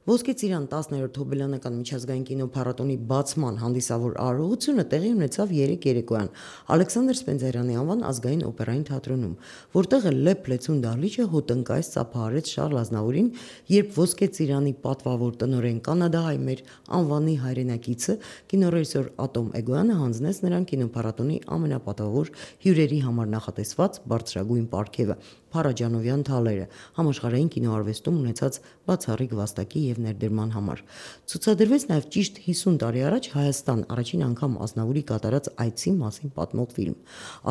Ոսկե ծիրան 10-րդ Հոբելյանական միջազգային կինոփառատոնի բացման հանդիսավոր արարողությունը տեղի ունեցավ 3 երեկոյան Ալեքսանդր Սպենդիարյանի անվան ազգային օպերային թատրոնում, որտեղ Լեփ-Լեցուն դահլիճը հոտնկայս ծափահարեց Շարլ Ազնավուրին, երբ Ոսկե ծիրանի պատվավոր տնօրեն կանադահայ մեր անվանի հայրենակիցը կինոռեժիսոր Ատոմ Էգոյանը հանձնեց նրան կինոփառատոնի ամենապատվավոր հյուրերի համար նախատեսված բարձրագույն պարգևը՝ Փարաջանովյան թալերը, համաշխարհային կինոարվեստում ունեցած բացառիկ վաստակի եւ ներդրման համար։ Ցուցադրվեց նաեւ ճիշտ 50 տարի առաջ Հայաստան առաջին անգամ Ազնավուրի կատարած այցի մասին պատմող ֆիլմ։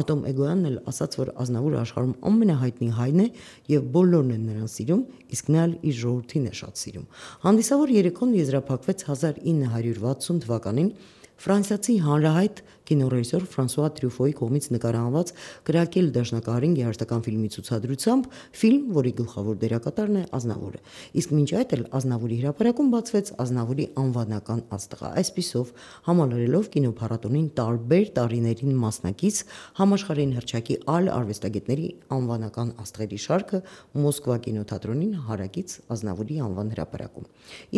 Ատոմ Էգոյանն էլ ասաց, որ Ազնավուրը աշխարհում ամենահայտնի հայն է եւ բոլորն են նրան սիրում, իսկ նա էլ իր ժողովրդին է շատ սիրում։ Հանդիսավոր երեկոն եզրափակվեց 1960 թվականին ֆրանսիացի հանրահայտ կինոռեժիսոր Ֆրանսուଆ Տրյուֆոյի կողմից նկարահանված Կրակել դաշնակահարին երաժշտական ֆիլմի ցուցադրությամբ, ֆիլմ, որի գլխավոր դերակատարն է Ազնավուրը։ Իսկ մինչ այդ էլ Ազնավուրի հրապարակում բացվեց Ազնավուրի անվանական աստղը։ Այսպիսով, համալրելով կինոփառատոնին տարբեր տարիներին մասնակից համաշխարհային հռչակի այլ արվեստագետների անվանական աստղերի շարքը Մոսկվա կինոթատրոնին հարակից Ազնավուրի անվան հրապարակում։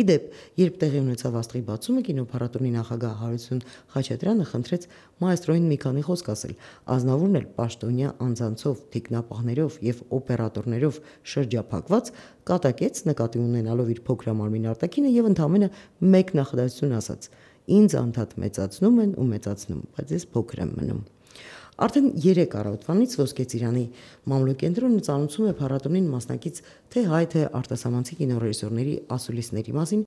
Իդեպ, երբ տեղի ունեցավ աստղի բացումը, կինոփառատոնի նախագահ Հարություն Խաչատրյանը խնդրեց մայստրոյին մի քանի խոսք ասել։ Ազնավուրն էլ պաշտոնյա անձանցով, թիկնապահներով եւ օպերատորներով շրջափակված կատակեց նկատի ունենալով իր փոքրամարմին արտաքինը եւ ընդամենը մեկ նախադասություն ասաց. «Ինձ անդադ մեծացնում են ու մեծացնում, բայց ես փոքր եմ մնում»։ Արդեն 3 առավոտվանից Ոսկե ծիրանի մամլոյկենտրոնը ծանոթում է փառատոնին մասնակից թե հայ թե արտասահմանցի կինոռեժիսորների ասուլիսների մասին։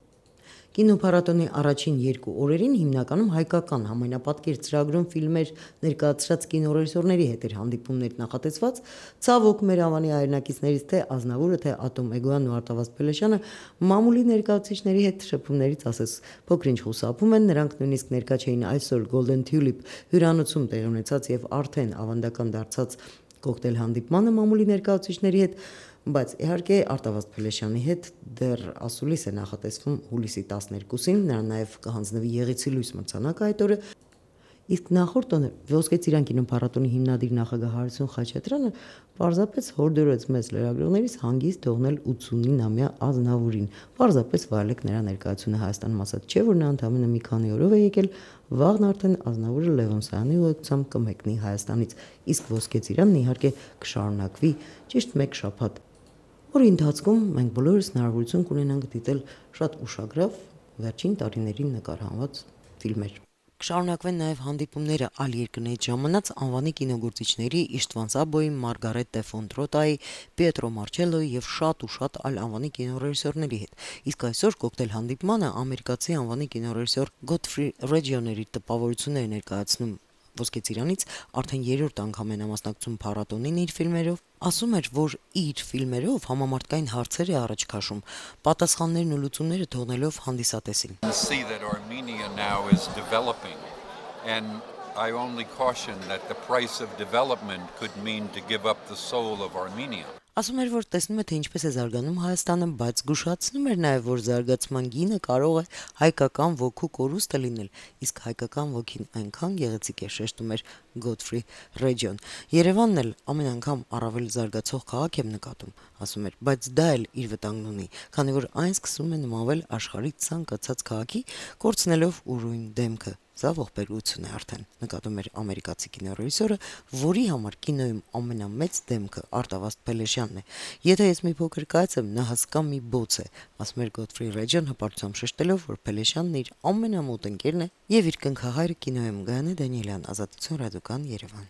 Կինոփառատոնի առաջին 2 օրերին հիմնականում հայկական համայնապատկեր ծրագրում ֆիլմեր ներկայացրած կինոռեժիսորների հետ էր հանդիպումներ նախատեսված, ցավոք մեր անվանի հայրենակիցներից թե Ազնավուրը, թե Ատոմ Էգոյանն ու Արտավազդ Փելեշյանը մամուլի ներկայացուցիչների հետ շփումներից ասես փոքրինչ խուսափում են, նրանք նույնիսկ ներկա չէին այսօր Golden Tulip հյուրանոցում տեղի ունեցած եւ արդեն ավանդական դարձած կոկտեյլ հանդիպմանը մամուլի ներկայացուցիչների հետ, բայց իհարկե Արտավազդ Փելեշյանի հետ դեռ ասուլիս է նախատեսվում հուլիսի 12-ին, նրան նաև կհանձնվի Եղեցի լույս մրցանակը այդ օրը, իսկ նախորդ օրը Ոսկե ծիրան կինոփառատոնի հիմնադիր նախագահ Հարություն Խաչատրյանը պարզապես հորդորեց մեծ լրագրողներից հանգիստ թողնել 89-ամյա Ազնավուրին, պարզապես վայելեք նրա ներկայությունը Հայաստանում, ասած չէ, որ նա ընդամենը մի քանի օրով է եկել, վաղն արդեն Ազնավուրը Լևոն Սայանի ուղեկցությամբ կմեկնի Հայաստանից, իսկ Ոսկե ծիրանն իհարկե կշարունակվի ճիշտ 1 շաբաթ, որի ընթացքում մենք բոլորս հնարավորություն կունենանք դիտել շատ ուշագրավ վերջին տարիներին նկարահանված ֆիլմեր։ Կշարունակվեն նաև հանդիպումները այլ երկրներից ժամանած անվանի կինոգործիչների Իշտվան Սաբոյի, Մարգարետ դե Ֆոնտրոտայի, Պիետրո Մարչելոյի եւ շատ ու շատ այլ անվանի կինոռեժիսորների հետ։ Իսկ այսօր կոկտեյլ հանդիպմանը ամերիկացի անվանի կինոռեժիսոր Գոթֆրի Ռեջիոների տպավորությունները ներկայացնում Ոսկե ծիրանից արդեն 3-րդ անգամ է մասնակցում փառատոնին իր ֆիլմերով, ասում էր, որ իր ֆիլմերով համամարտկային հարցեր է առաջ քաշում, պատասխաններն ու լուծումները թողնելով հանդիսատեսին։ I only caution that the price of development could mean to give up the soul of Armenia. Ասում էր, որ տեսնում է, թե ինչպես է զարգանում Հայաստանը, բայց զգուշացնում էր նաև, որ զարգացման գինը կարող է հայկական ոգու կորուստը լինել, իսկ հայկական ոգին այնքան գեղեցիկ է, շեշտում էր Գոթֆրի Ռեջիոն։ Երևանն էլ ամեն անգամ առավել զարգացող քաղաք եմ նկատում, ասում էր, բայց դա էլ իր վտանգն ունի, քանի որ այն սկսում է նմանվել աշխարհի ցանկացած քաղաքի, կորցնելով ուրույն դեմքը։ Սա ողբերգություն է արդեն, նկատում էր ամերիկացի կինոռեժիսորը, որի համար կինոյում ամենամեծ դեմքը Արտավազդ Փելեշյանն է։ Եթե ես մի փոքր կայացեմ, նա հսկա մի բոց է, ասում էր Գոթֆրի Ռեջիոն հպարտությամբ շեշտելով, որ Փելեշյանն իր ամենամոտ ընկերն է եւ իր կնքահայրը կինոյում Գայանե Դանիելյան, Ազատություն ռադիոկան Երևան։